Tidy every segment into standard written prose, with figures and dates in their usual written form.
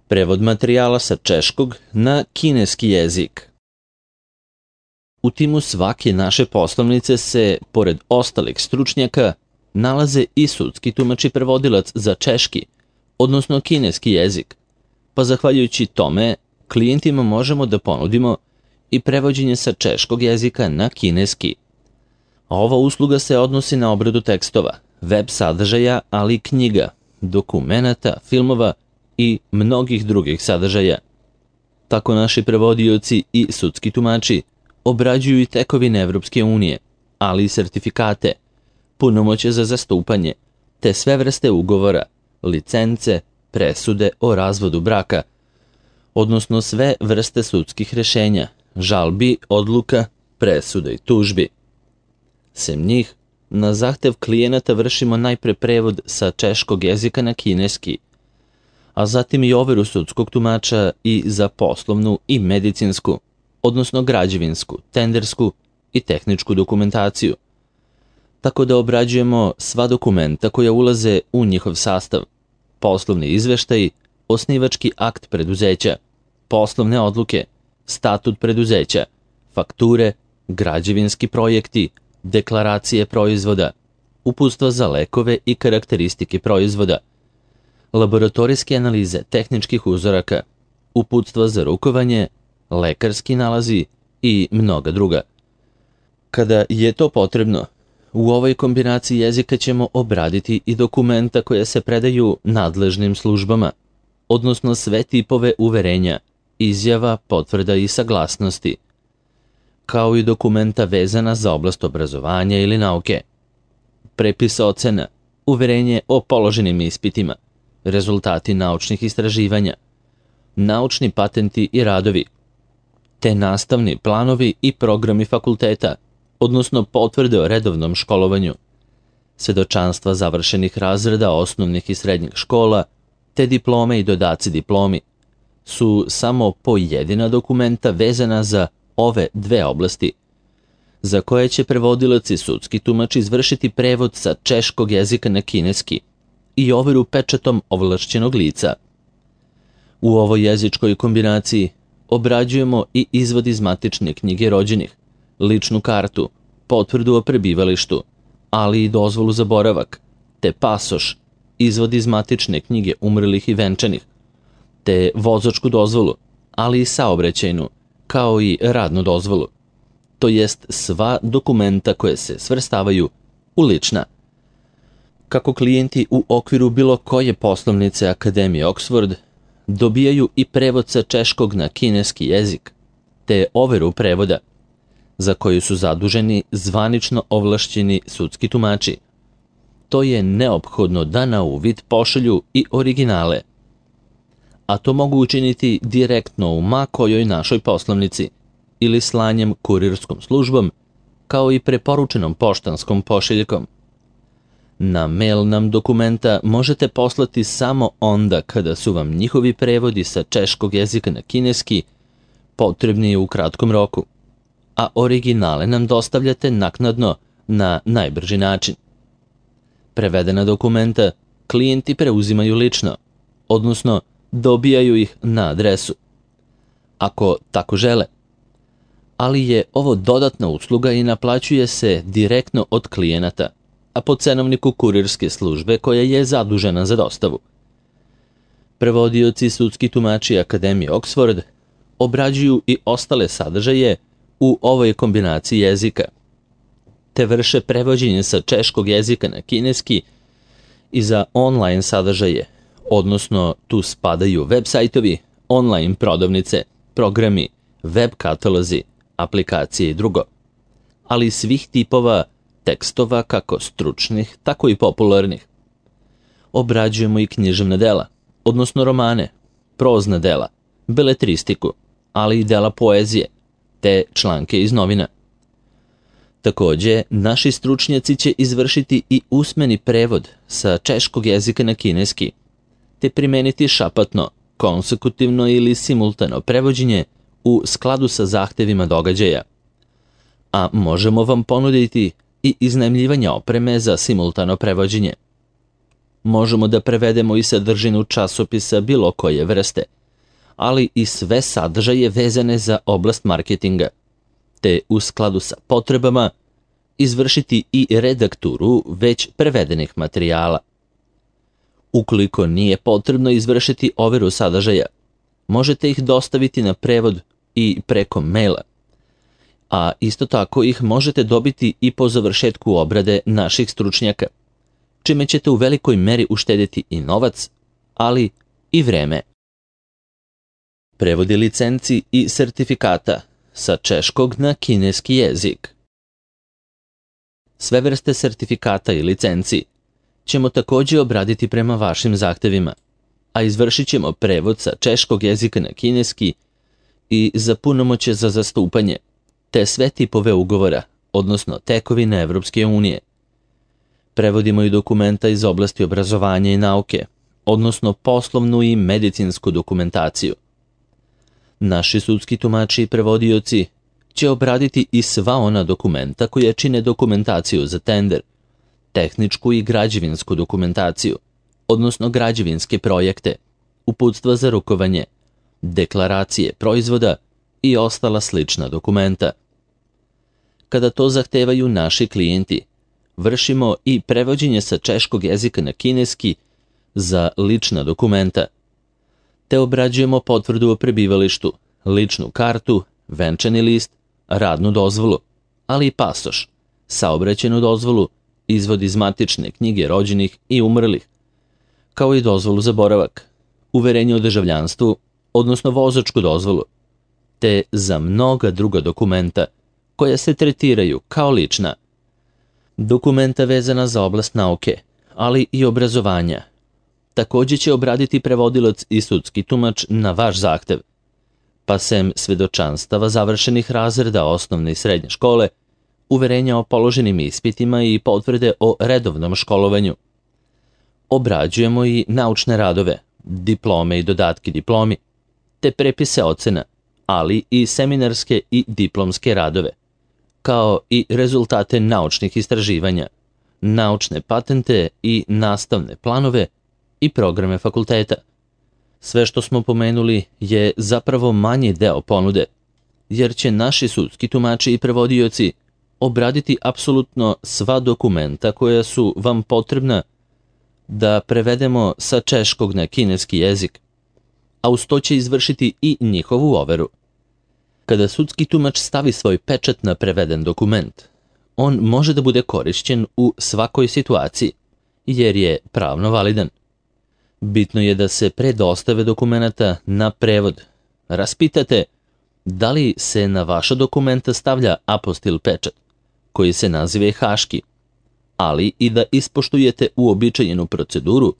Prevod materijala sa češkog na kineski jezik. U timu svake naše poslovnice se, pored ostalih stručnjaka, nalaze i sudski tumač i prevodilac za češki, odnosno kineski jezik, pa zahvaljujući tome klijentima možemo da ponudimo i prevođenje sa češkog jezika na kineski. Ova usluga se odnosi na obradu tekstova, web sadržaja, ali i knjiga, dokumenata, filmova i mnogih drugih sadržaja. Tako naši prevodioci i sudski tumači obrađuju i tekovine Evropske unije, ali i sertifikate, punomoćje za zastupanje, te sve vrste ugovora, licence, presude o razvodu braka, odnosno sve vrste sudskih rešenja, žalbi, odluka, presuda i tužbi. Sem njih, na zahtev klijenata vršimo najpre prevod sa češkog jezika na kineski, a zatim i overu sudskog tumača i za poslovnu i medicinsku, odnosno građevinsku, tendersku i tehničku dokumentaciju. Tako da obrađujemo sva dokumenta koja ulaze u njihov sastav, poslovni izveštaji, osnivački akt preduzeća, poslovne odluke, statut preduzeća, fakture, građevinski projekti, deklaracije proizvoda, uputstva za lekove i karakteristike proizvoda, laboratorijske analize tehničkih uzoraka, uputstva za rukovanje, lekarski nalazi i mnoga druga. Kada je to potrebno, u ovoj kombinaciji jezika ćemo obraditi i dokumenta koje se predaju nadležnim službama, odnosno sve tipove uverenja, izjava, potvrda i saglasnosti, kao i dokumenta vezana za oblast obrazovanja ili nauke, prepis ocena, uverenje o položenim ispitima, rezultati naučnih istraživanja, naučni patenti i radovi, te nastavni planovi i programi fakulteta, odnosno potvrde o redovnom školovanju, svedočanstva završenih razreda osnovnih i srednjih škola, te diplome i dodaci diplomi, su samo pojedina dokumenta vezana za ove dve oblasti, za koje će prevodilac i sudski tumač izvršiti prevod sa češkog jezika na kineski i overu pečatom ovlašćenog lica. U ovoj jezičkoj kombinaciji obrađujemo i izvod iz matične knjige rođenih, ličnu kartu, potvrdu o prebivalištu, ali i dozvolu za boravak, te pasoš, izvod iz matične knjige umrlih i venčanih, te vozačku dozvolu, ali i saobraćajnu, kao i radnu dozvolu, to jest sva dokumenta koje se svrstavaju u lična. Kako klijenti u okviru bilo koje poslovnice Akademije Oxford dobijaju i prevod sa češkog na kineski jezik, te overu prevoda, za koju su zaduženi zvanično ovlašćeni sudski tumači. To je neophodno da na uvid pošalju i originale, a to mogu učiniti direktno u ma kojoj našoj poslovnici ili slanjem kurirskom službom, kao i preporučenom poštanskom pošiljkom. Na mail nam dokumenta možete poslati samo onda kada su vam njihovi prevodi sa češkog jezika na kineski potrebni u kratkom roku, a originale nam dostavljate naknadno na najbrži način. Prevedena dokumenta klijenti preuzimaju lično, odnosno dobijaju ih na adresu, ako tako žele. Ali je ovo dodatna usluga i naplaćuje se direktno od klijenata, a po cenovniku kurirske službe koja je zadužena za dostavu. Prevodioci i sudski tumači Akademije Oxford obrađuju i ostale sadržaje u ovoj kombinaciji jezika, te vrše prevođenje sa češkog jezika na kineski i za online sadržaje, odnosno tu spadaju web sajtovi, online prodavnice, programi, web katalozi, aplikacije i drugo, ali svih tipova tekstova kako stručnih, tako i popularnih. Obrađujemo i književna dela, odnosno romane, prozna dela, beletristiku, ali i dela poezije, te članke iz novina. Takođe, naši stručnjaci će izvršiti i usmeni prevod sa češkog jezika na kineski, te primeniti šapatno, konsekutivno ili simultano prevođenje u skladu sa zahtevima događaja. A možemo vam ponuditi i iznajmljivanje opreme za simultano prevođenje. Možemo da prevedemo i sadržinu časopisa bilo koje vrste, ali i sve sadržaje vezane za oblast marketinga, te u skladu sa potrebama izvršiti i redakturu već prevedenih materijala. Ukoliko nije potrebno izvršiti overu sadržaja, možete ih dostaviti na prevod i preko maila, a isto tako ih možete dobiti i po završetku obrade naših stručnjaka, čime ćete u velikoj meri uštedjeti i novac, ali i vreme. Prevodi licenci i sertifikata sa češkog na kineski jezik. Sve vrste sertifikata i licenci ćemo također obraditi prema vašim zahtevima, a izvršit ćemo prevod sa češkog jezika na kineski i za punomoćje za zastupanje, te sve tipove ugovora, odnosno tekovine Evropske unije. Prevodimo i dokumenta iz oblasti obrazovanja i nauke, odnosno poslovnu i medicinsku dokumentaciju. Naši sudski tumači i prevodioci će obraditi i sva ona dokumenta koja čine dokumentaciju za tender, tehničku i građevinsku dokumentaciju, odnosno građevinske projekte, uputstva za rukovanje, deklaracije proizvoda i ostala slična dokumenta. Kada to zahtevaju naši klijenti, vršimo i prevođenje sa češkog jezika na kineski za lična dokumenta, te obrađujemo potvrdu o prebivalištu, ličnu kartu, venčani list, radnu dozvolu, ali i pasoš, saobraćajnu dozvolu, izvod iz matične knjige rođenih i umrlih, kao i dozvolu za boravak, uverenje o državljanstvu, odnosno vozačku dozvolu, te za mnoga druga dokumenta koja se tretiraju kao lična. Dokumenta vezana za oblast nauke, ali i obrazovanja. Također će obraditi prevodilac i sudski tumač na vaš zahtev, pa sem svedočanstava završenih razreda osnovne i srednje škole, uverenja o položenim ispitima i potvrde o redovnom školovanju. Obrađujemo i naučne radove, diplome i dodatke diplomi, te prepise ocena, ali i seminarske i diplomske radove, kao i rezultate naučnih istraživanja, naučne patente i nastavne planove i programe fakulteta. Sve što smo pomenuli je zapravo manji deo ponude, jer će naši sudski tumači i prevodioci obraditi apsolutno sva dokumenta koja su vam potrebna da prevedemo sa češkog na kineski jezik, a uz to će izvršiti i njihovu overu. Kada sudski tumač stavi svoj pečat na preveden dokument, on može da bude korišćen u svakoj situaciji, jer je pravno validan. Bitno je da se pre dostave dokumenata na prevod raspitate da li se na vaša dokumenta stavlja apostil pečat, koji se naziva haški, ali i da ispoštujete uobičajenu proceduru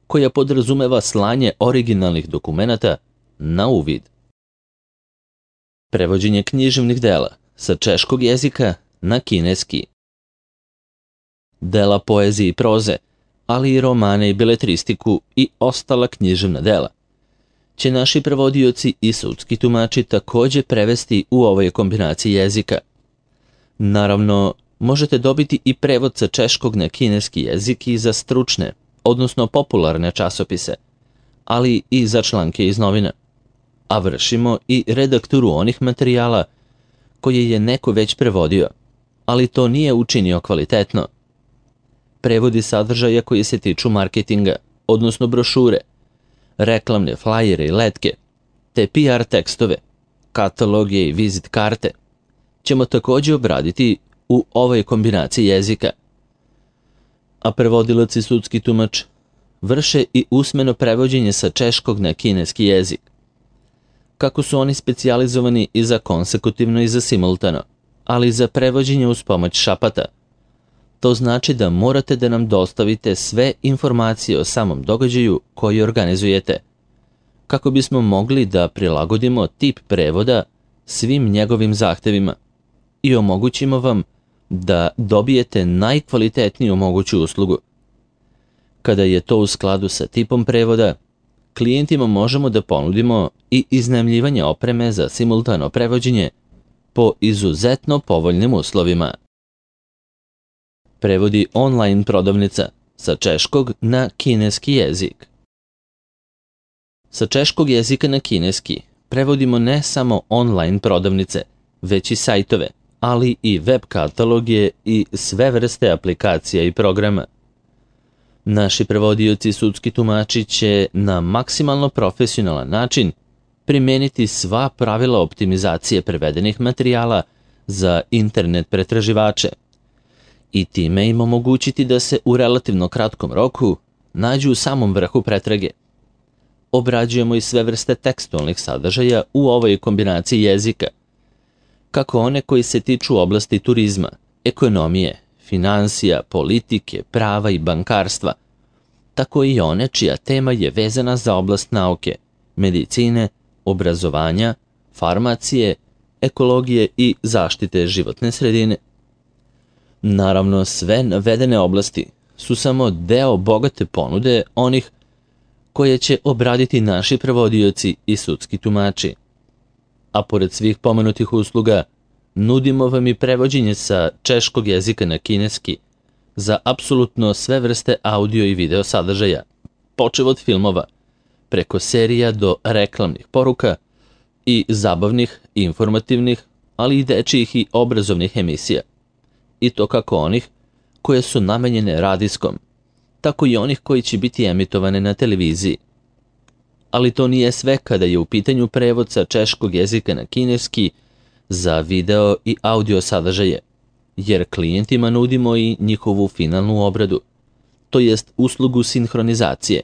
koja podrazumeva slanje originalnih dokumenata na uvid. Prevođenje književnih dela sa češkog jezika na kineski. Dela poezije i proze, ali i romane i beletristiku i ostala književna dela će naši prevodioci i sudski tumači također prevesti u ovoj kombinaciji jezika. Naravno, možete dobiti i prevod sa češkog na kineski jezik i za stručne, odnosno popularne časopise, ali i za članke iz novina. A vršimo i redakturu onih materijala koje je neko već prevodio, ali to nije učinio kvalitetno. Prevodi sadržaja koji se tiču marketinga, odnosno brošure, reklamne flajere i letke, te PR tekstove, kataloge i vizit karte, ćemo također obraditi u ovoj kombinaciji jezika. A prevodilac i sudski tumač vrše i usmeno prevođenje sa češkog na kineski jezik. Kako su oni specijalizovani i za konsekutivno i za simultano, ali i za prevođenje uz pomoć šapata. To znači da morate da nam dostavite sve informacije o samom događaju koji organizujete, kako bismo mogli da prilagodimo tip prevoda svim njegovim zahtevima i omogućimo vam da dobijete najkvalitetniju moguću uslugu. Kada je to u skladu sa tipom prevoda, klijentima možemo da ponudimo i iznajmljivanje opreme za simultano prevođenje po izuzetno povoljnim uslovima. Prevodi online prodavnica sa češkog na kineski jezik. Sa češkog jezika na kineski prevodimo ne samo online prodavnice, već i sajtove, ali i web kataloge i sve vrste aplikacija i programa. Naši prevodioci i sudski tumači će na maksimalno profesionalan način primeniti sva pravila optimizacije prevedenih materijala za internet pretraživače i time im omogućiti da se u relativno kratkom roku nađu u samom vrhu pretrage. Obrađujemo i sve vrste tekstualnih sadržaja u ovoj kombinaciji jezika, kako one koji se tiču oblasti turizma, ekonomije, finansija, politike, prava i bankarstva, tako i one čija tema je vezana za oblast nauke, medicine, obrazovanja, farmacije, ekologije i zaštite životne sredine. Naravno, sve navedene oblasti su samo deo bogate ponude onih koje će obraditi naši prevodioci i sudski tumači. A pored svih pomenutih usluga, nudimo vam i prevođenje sa češkog jezika na kineski za apsolutno sve vrste audio i video sadržaja, počev od filmova, preko serija do reklamnih poruka i zabavnih, informativnih, ali i dečijih i obrazovnih emisija. I to kako onih koje su namenjene radijskom, tako i onih koji će biti emitovane na televiziji. Ali to nije sve kada je u pitanju prevod sa češkog jezika na kineski za video i audio sadržaje, jer klijentima nudimo i njihovu finalnu obradu, to jest uslugu sinhronizacije,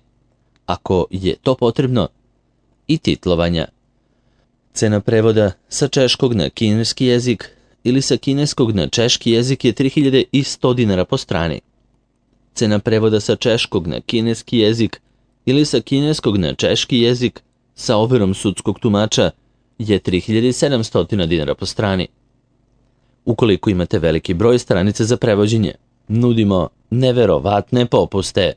ako je to potrebno, i titlovanja. Cena prevoda sa češkog na kineski jezik ili sa kineskog na češki jezik je 3100 dinara po strani. Cena prevoda sa češkog na kineski jezik ili sa kineskog na češki jezik sa overom sudskog tumača je 3700 dinara po strani. Ukoliko imate veliki broj stranica za prevođenje, nudimo neverovatne popuste.